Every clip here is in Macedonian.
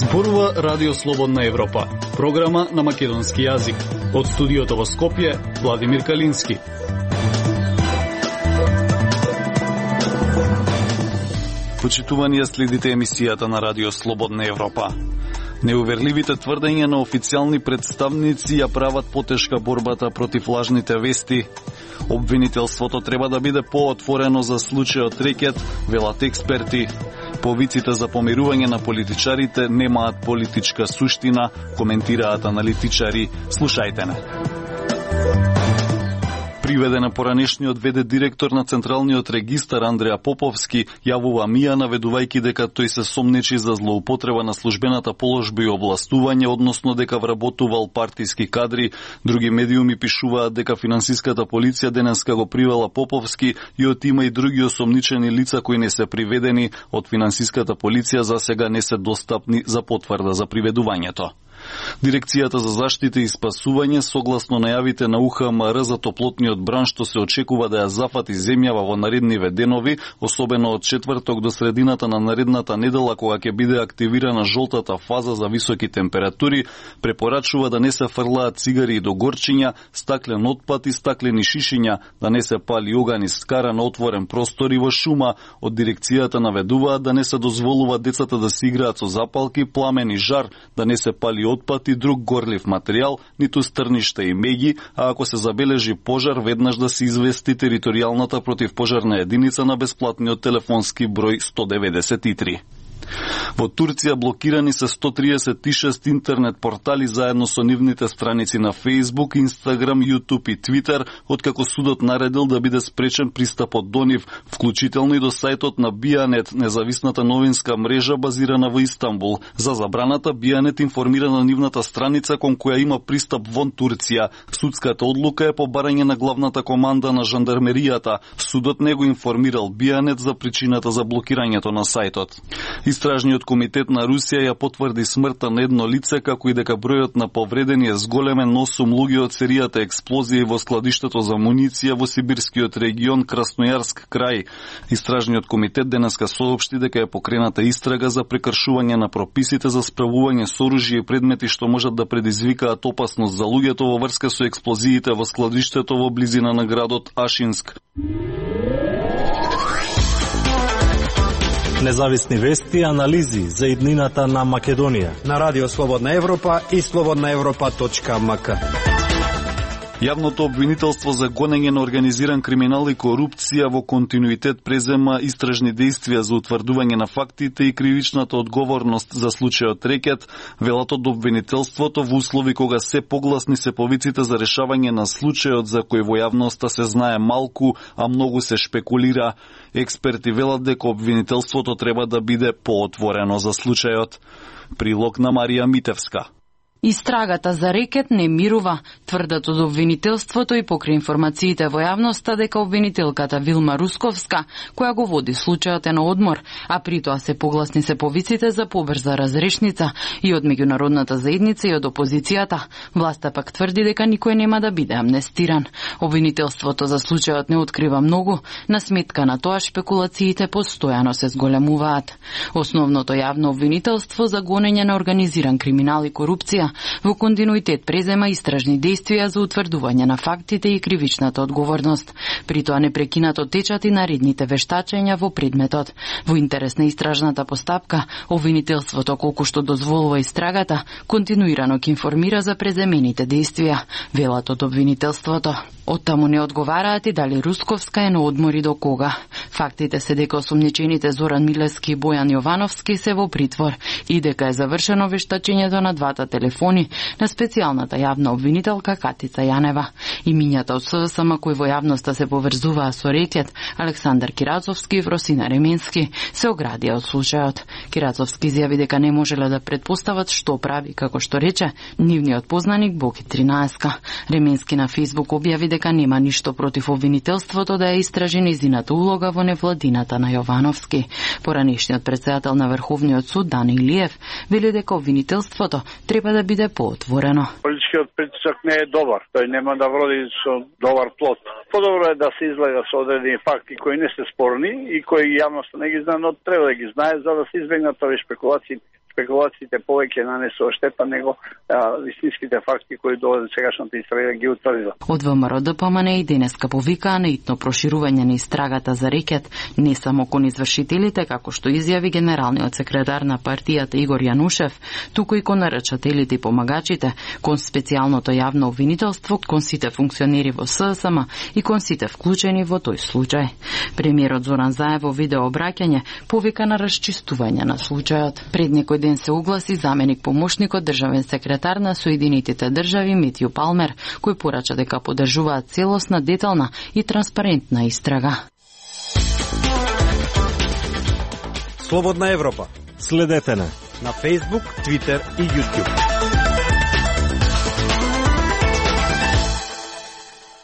Зборува Радио Слободна Европа, програма на македонски јазик. Од студиото во Скопје, Владимир Калински. Почитувани, следите емисијата на Радио Слободна Европа. Неуверливите тврдења на официјални представници ја прават потешка борбата против лажните вести. Обвинителството треба да биде поотворено за случајот Рекет, велат експерти. Повиците за помирување на политичарите немаат политичка суштина, коментираат аналитичари. Слушајте не. Приведен поранешниот ВД директор на Централниот регистар Андреа Поповски јавува мија, наведувајќи дека тој се сомнечи за злоупотреба на службената положба и областување, односно дека вработувал партиски кадри. Други медиуми пишуваат дека финансиската полиција денеска го привела Поповски и од има и други осомничени лица кои не се приведени од финансиската полиција, за сега не се достапни за потврда за приведувањето. Дирекцијата за заштита и спасување, согласно најавите на УХМР за топлотниот бран, што се очекува да ја зафати земјава во наредниве денови, особено од четврток до средината на наредната недела, кога ќе биде активирана жолтата фаза за високи температури, препорачува да не се фрлаат цигари и догорчиња, стаклен отпад и стаклени шишиња, да не се пали оган и скара на отворен простор и во шума. Од дирекцијата наведуваат да не се дозволува децата да се играат со запалки, пламен и жар, да не се пали отпад и друг горлив материјал, ниту стрништа и меѓи, а ако се забележи пожар, веднаш да се извести територијалната противпожарна единица на бесплатниот телефонски број 193. Во Турција блокирани се 136 интернет портали заедно со нивните страници на Facebook, Instagram, YouTube и Twitter, откако судот наредил да биде спречен пристапот до нив, вклучително и до сајтот на Бијанет, независната новинска мрежа базирана во Истанбул. За забраната Бијанет информира на нивната страница кон која има пристап вон Турција. Судската одлука е по барање на главната команда на жандармеријата. Судот не го информирал Бијанет за причината за блокирањето на сајтот. Истражниот комитет на Русија ја потврди смртта на едно лице, како и дека бројот на повредени е зголемен, 8 луѓе од серијата експлозија во складиштето за муниција во сибирскиот регион Краснојарск крај. Истражниот комитет денеска соопшти дека е покрената истрага за прекршување на прописите за справување со оружје и предмети што можат да предизвикаат опасност за луѓето во врска со експлозиите во складиштето во близина на градот Ашинск. Независни вести и анализи за иднината на Македонија на Радио Слободна Европа и slobodnaevropa.mk. Јавното обвинителство за гонење на организиран криминал и корупција во континуитет презема истражни действија за утврдување на фактите и кривичната одговорност за случајот Рекет, велат од обвинителството, во услови кога се погласни се повиците за решавање на случајот за кој во јавноста се знае малку, а многу се шпекулира. Експерти велат дека обвинителството треба да биде поотворено за случајот. Прилог на Марија Митевска. Истрагата за Рекет не мирува, тврдат од обвинителството и покрај информациите во јавноста дека обвинителката Вилма Русковска, која го води случајот, е на одмор, а при тоа се погласни се повиците за побрза разрешница и од меѓународната заедница и од опозицијата. Власта пак тврди дека никој нема да биде амнестиран. Обвинителството за случајот не открива многу, на сметка на тоа шпекулациите постојано се зголемуваат. Основното јавно обвинителство за гонење на организиран криминал и корупција во континуитет презема истражни действија за утврдување на фактите и кривичната одговорност. При тоа непрекинато течат и наредните вештачења во предметот. Во интерес на истражната постапка, обвинителството, колку што дозволува истрагата, континуирано ќе информира за преземените действија, велат од обвинителството. Оттаму не одговараат и дали Русковска е на одмори до кога. Фактите се дека осомничените Зоран Милевски и Бојан Јовановски се во притвор и дека е завршено вештачењето на двата телефони на специјалната јавна обвинителка Катица Јанева. Имињата од СДСМ кои во јавноста се поврзуваа со Рекет, Александар Кирацовски и Вросина Ременски, се оградија од случајот. Кирацовски изјави дека не можеле да предпостават што прави, како што рече нивниот познаник Боки 13. Ременски на Фейсбук објави дека нема ништо против обвинителството да ја истражи нејзината улога во невладината на Јовановски. Поранешниот председател на Врховниот суд Дани Илиев вели дека обвинителството треба да биде поотворено. Политичкиот притисок не е добар, тој нема да вроди со добар плод. Подобро е да се излага со одредени факти кои не се спорни и кои јавноста не ги знае, но треба да ги знае за да се избегнат овие шпекулации спекулациите повеќе нанесува штета него вистинските факти кои до сегашната истрага ги утврдила. Од ВМРО ДПМН и денеска повикаа на итно проширување на истрагата за рекет не само кон извршителите, како што изјави генералниот секретар на партијата Игор Јанушев, туку и кон нарачателите и помагачите, кон специјалното јавно обвинителство, кон сите функционери во ССМ и кон сите вклучени во тој случај. Премиерот Зоран Заев во видео обраќање повика на расчистување на случајот. Пред некој ден се огласи заменик помошникот државен секретар на Соединетите држави Метју Палмер, кој порача дека поддржуваат целосна, детална и транспарентна истрага. Слободна Европа. Следете на Facebook, Twitter и YouTube.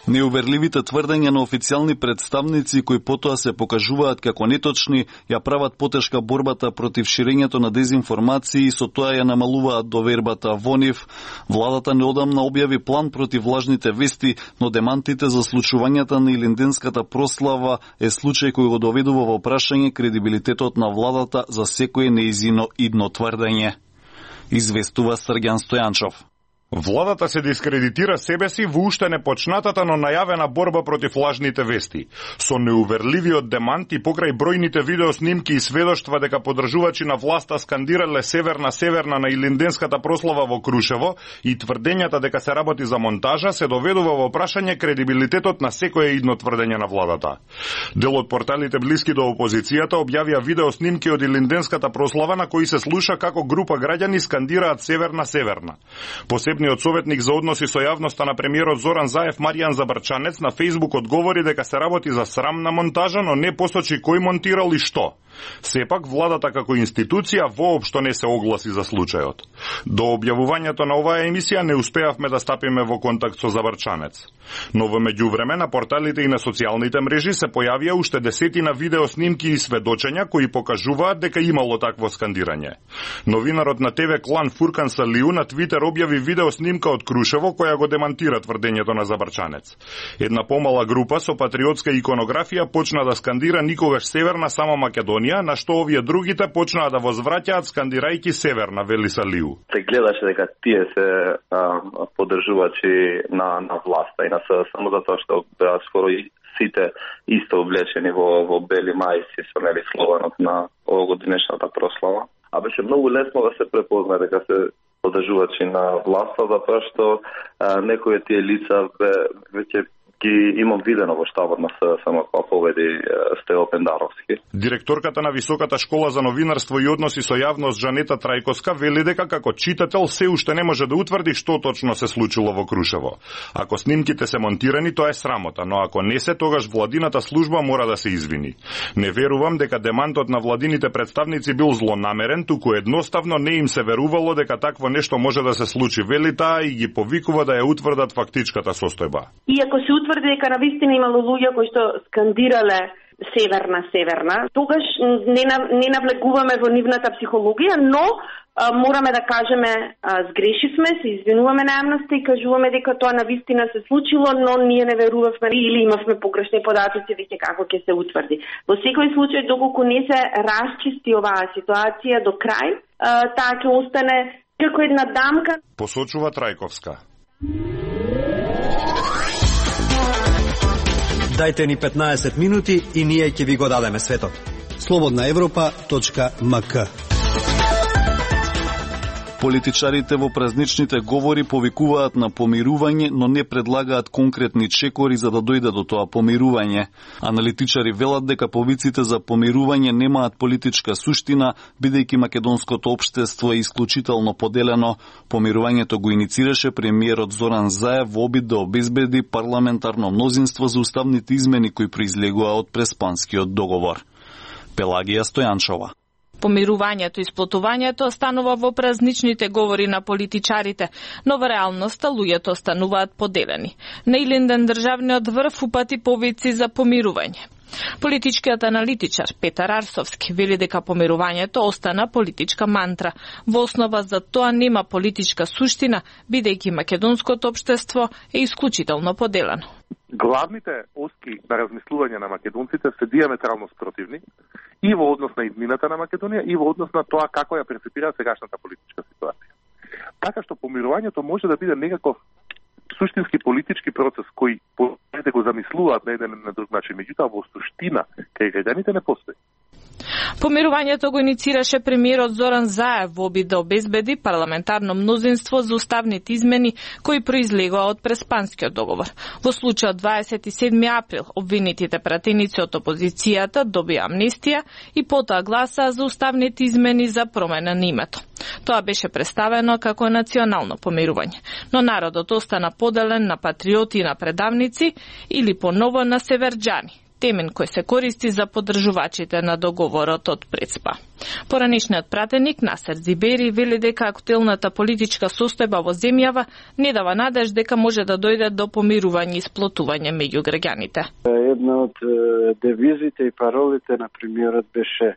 Неуверливите тврдења на официјални представници кои потоа се покажуваат како неточни ја прават потешка борбата против ширењето на дезинформации и со тоа ја намалуваат довербата во нив. Владата неодамна објави план против лажните вести, но демантите за случувањата на Илинденската прослава е случај кој го доведува во прашање кредибилитетот на владата за секое неизино идно тврдење. Известува Срѓан Стојанчов. Владата се дискредитира себе си во уште непочнатата, но најавена борба против лажните вести. Со неуверливиот демант и покрај бројните видеоснимки и сведоштва дека поддржувачи на власта скандирале Северна Северна на Илинденската прослава во Крушево и тврдењата дека се работи за монтажа, се доведува во прашање кредибилитетот на секое идно тврдење на владата. Дел од порталите блиски до опозицијата објавија видеоснимки од Илинденската прослава на кои се слуша како група граѓани скандираат Северна Северна. Посебниот советник за односи со јавноста на премиерот Зоран Заев, Маријан Забрчанец, на Facebook одговори дека се работи за срамна монтажа, но не посочи кој монтирал и што. Сепак, владата како институција воопшто не се огласи за случајот. До објавувањето на оваа емисија не успеавме да стапиме во контакт со Забрчанец. Но во меѓувреме на порталите и на социјалните мрежи се појавија уште десетина видеоснимки и сведочења кои покажуваат дека имало такво скандирање. Новинарот на ТВ Клан Фуркан Салиу на Твитер објави видеоснимка од Крушево која го демантира тврдењето на Забрчанец. Една помала група со патриотска иконографија почна да скандира никогаш Северна, само Македонија, на што овие другите почнаа да возвраќаат скандирајќи Северна, вели Салиу. Се гледаше дека тие се поддржувачи на власта и на само затоа што беа скоро и сите исто облечени во бели мајци со нели слованот на овогодинешната прослава. А беше многу лесно да се препозна дека се поддржувачи на власта, затоа што некои тие лица веќе ги имам видено во штабот на ССМ која поведи Стево Пендаровски. Директорката на Високата школа за новинарство и односи со јавност Жанета Трајковска вели дека како читател се уште не може да утврди што точно се случило во Крушево. Ако снимките се монтирани, тоа е срамота, но ако не се, тогаш владината служба мора да се извини. Не верувам дека демантот на владините представници бил злонамерен, туку едноставно не им се верувало дека такво нешто може да се случи, вели таа и ги повикува да ја утврдат фактичката состојба. Иако се утврди дека навистина имало луѓе кои што скандирале Северна, тогаш не навлегуваме во нивната психологија, но мораме да кажеме сгрешивме, се извинуваме на јавноста и кажуваме дека тоа навистина се случило, но ние не верувавме или имавме погрешни податоци веќе како ќе се утврди. Во секој случај, доколку не се расчисти оваа ситуација до крај, таа ќе остане како една дамка. Посочува Трајковска. Дајте ни 15 минути и ние ќе ви го дадеме светот. slobodnaevropa.mk. Политичарите во празничните говори повикуваат на помирување, но не предлагаат конкретни чекори за да дојде до тоа помирување. Аналитичари велат дека повиците за помирување немаат политичка суштина, бидејќи македонското општество е исклучително поделено. Помирувањето го иницираше премиерот Зоран Заев во обид да обезбеди парламентарно мнозинство за уставните измени кои произлегува од Преспанскиот договор. Пелагија Стојанчова. Помирувањето и сплотувањето останува во празничните говори на политичарите, но во реалноста луѓето остануваат поделени. На Илинден државниот врв упати повици за помирување. Политичкиот аналитичар Петар Арсовски вели дека помирувањето остана политичка мантра. Во основа за тоа нема политичка суштина, бидејќи македонското општество е исклучително поделено. Главните оски на размислување на македонците се диаметрално спротивни и во однос на иднината на Македонија и во однос на тоа како ја перцепира сегашната политичка ситуација. Така што помирувањето може да биде некаков суштински политички процес кој да го замислуваат на еден на друг начин, меѓутоа во суштина кај граѓаните не постои. Помирувањето го иницираше премиерот Зоран Заев во обид да обезбеди парламентарно мнозинство за уставните измени кои произлегоа од Преспанскиот договор. Во случајот 27 април обвинетите пратеници од опозицијата добија амнестија и потоа гласаа за уставните измени за промена на името. Тоа беше представено како национално помирување, но народот остана поделен на патриоти и на предавници или поново на северџани, темен кој се користи за поддржувачите на договорот од Преспа. Поранишниот пратеник Насер Зибери вели дека актуелната политичка состојба во земјава не дава надеж дека може да дојде до помирување и сплотување меѓу граѓаните. Една од девизите и паролите на премиерот беше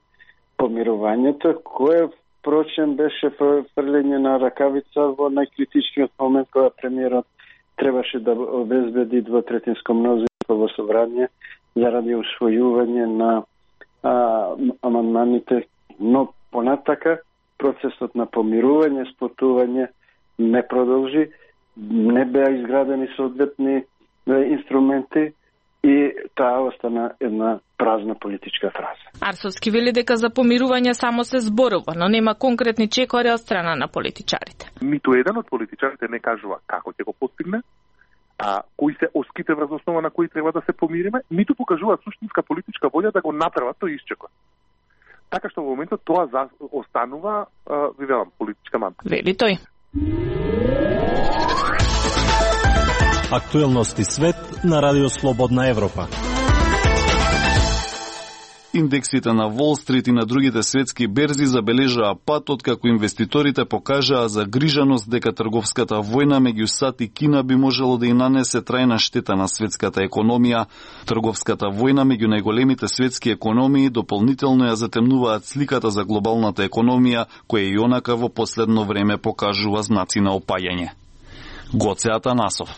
помирувањето, кое впрочем беше фрлење на ракавица во најкритичниот момент кога премиерот требаше да обезбеди двотретинско мнозинство во собрание заради усвојување на амандманите, но понатака процесот на помирување, сплотување не продолжи, не беа изградени соодветни инструменти и таа остана една празна политичка фраза. Арсовски вели дека за помирување само се зборува, но нема конкретни чекори од страна на политичарите. Ниту еден од политичарите не кажува како ќе го постигне, кои се оските врз основа на кои треба да се помириме, ниту покажуваат суштинска политичка волја да го направат тој иск. Така што во моментот тоа останува, ви велам, политичка мантра. Вели тој. Актуелности свет на Радио Слободна Европа. Индексите на Wall Street и на другите светски берзи забележаа пат откако инвеститорите покажаа загриженост дека трговската војна меѓу САД и Кина би можело да и нанесе трајна штета на светската економија. Трговската војна меѓу најголемите светски економии дополнително ја затемнуваат сликата за глобалната економија, која и онака во последно време покажува знаци на опаѓање. Гоце Атанасов.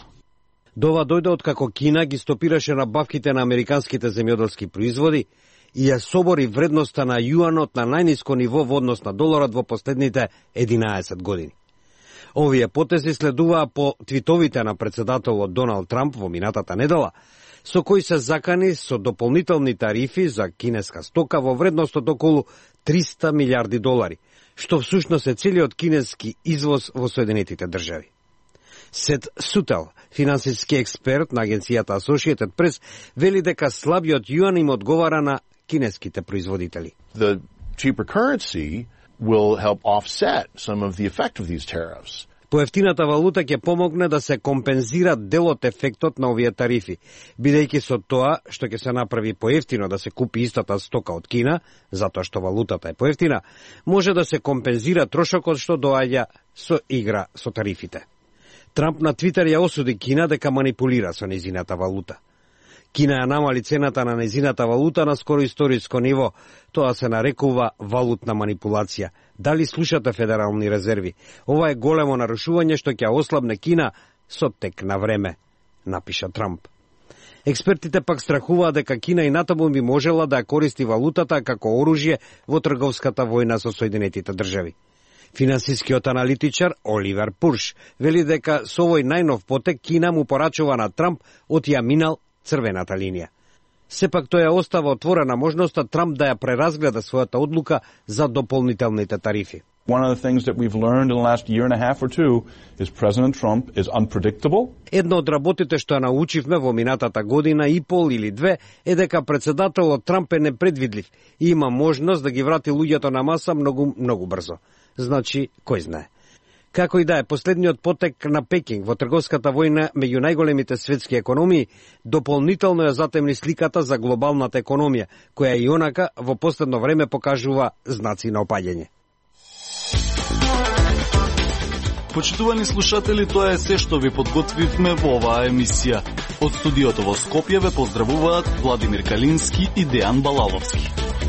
Дова дојде откако Кина ги стопираше набавките на американските земјоделски производи и ја собори вредноста на јуанот на најниско ниво во однос на доларот во последните 11 години. Овие потези следуваа по твитовите на председателот Доналд Трамп во минатата недела, со кои се закани со дополнителни тарифи за кинеска стока во вредност од околу 300 милиарди долари, што всушност е целиот кинески извоз во Соединетите држави. Сет Сутел, финансиски експерт на агенцијата Associated Press, вели дека слабиот јуан им одговара на кинеските производители. The cheaper currency will help offset some of the effect of these tariffs. Поевтината валута ќе помогне да се компензира делот ефектот на овие тарифи, бидејќи со тоа што ќе се направи поевтино да се купи истата стока од Кина, затоа што валутата е поевтина, може да се компензира трошокот што доаѓа со игра со тарифите. Трамп на Твитер ја осуди Кина дека манипулира со незината валута. Кина ја намали цената на незината валута на скоро историско ниво. Тоа се нарекува валутна манипулација. Дали слушате Федерални резерви? Ова е големо нарушување што ќе ослабне Кина со тек на време, напиша Трамп. Експертите пак страхуваат дека Кина и натаму би можела да ја користи валутата како оружје во трговската војна со Соединетите држави. Финансискиот аналитичар Оливер Пурш вели дека со овој најнов потек Кина му порачува на Трамп од ја минал црвената линија. Сепак тој ја остава отворена можноста Трамп да ја преразгледа својата одлука за дополнителните тарифи. One of the things that we've learned in the last year and a half or two is President Trump is unpredictable. Едно од работите што ја научивме во минатата година и пол или две е дека председателот Трамп е непредвидлив и има можност да ги врати луѓето на маса многу брзо. Значи, кој знае. Како и да е, последниот потек на Пекинг во трговската војна меѓу најголемите светски економии дополнително ја затемни сликата за глобалната економија, која и онака во последно време покажува знаци на опаѓање. Почитувани слушатели, тоа е се што ви подготвивме во оваа емисија. Од студиото во Скопје ве поздравуваат Владимир Калински и Дејан Балаловски.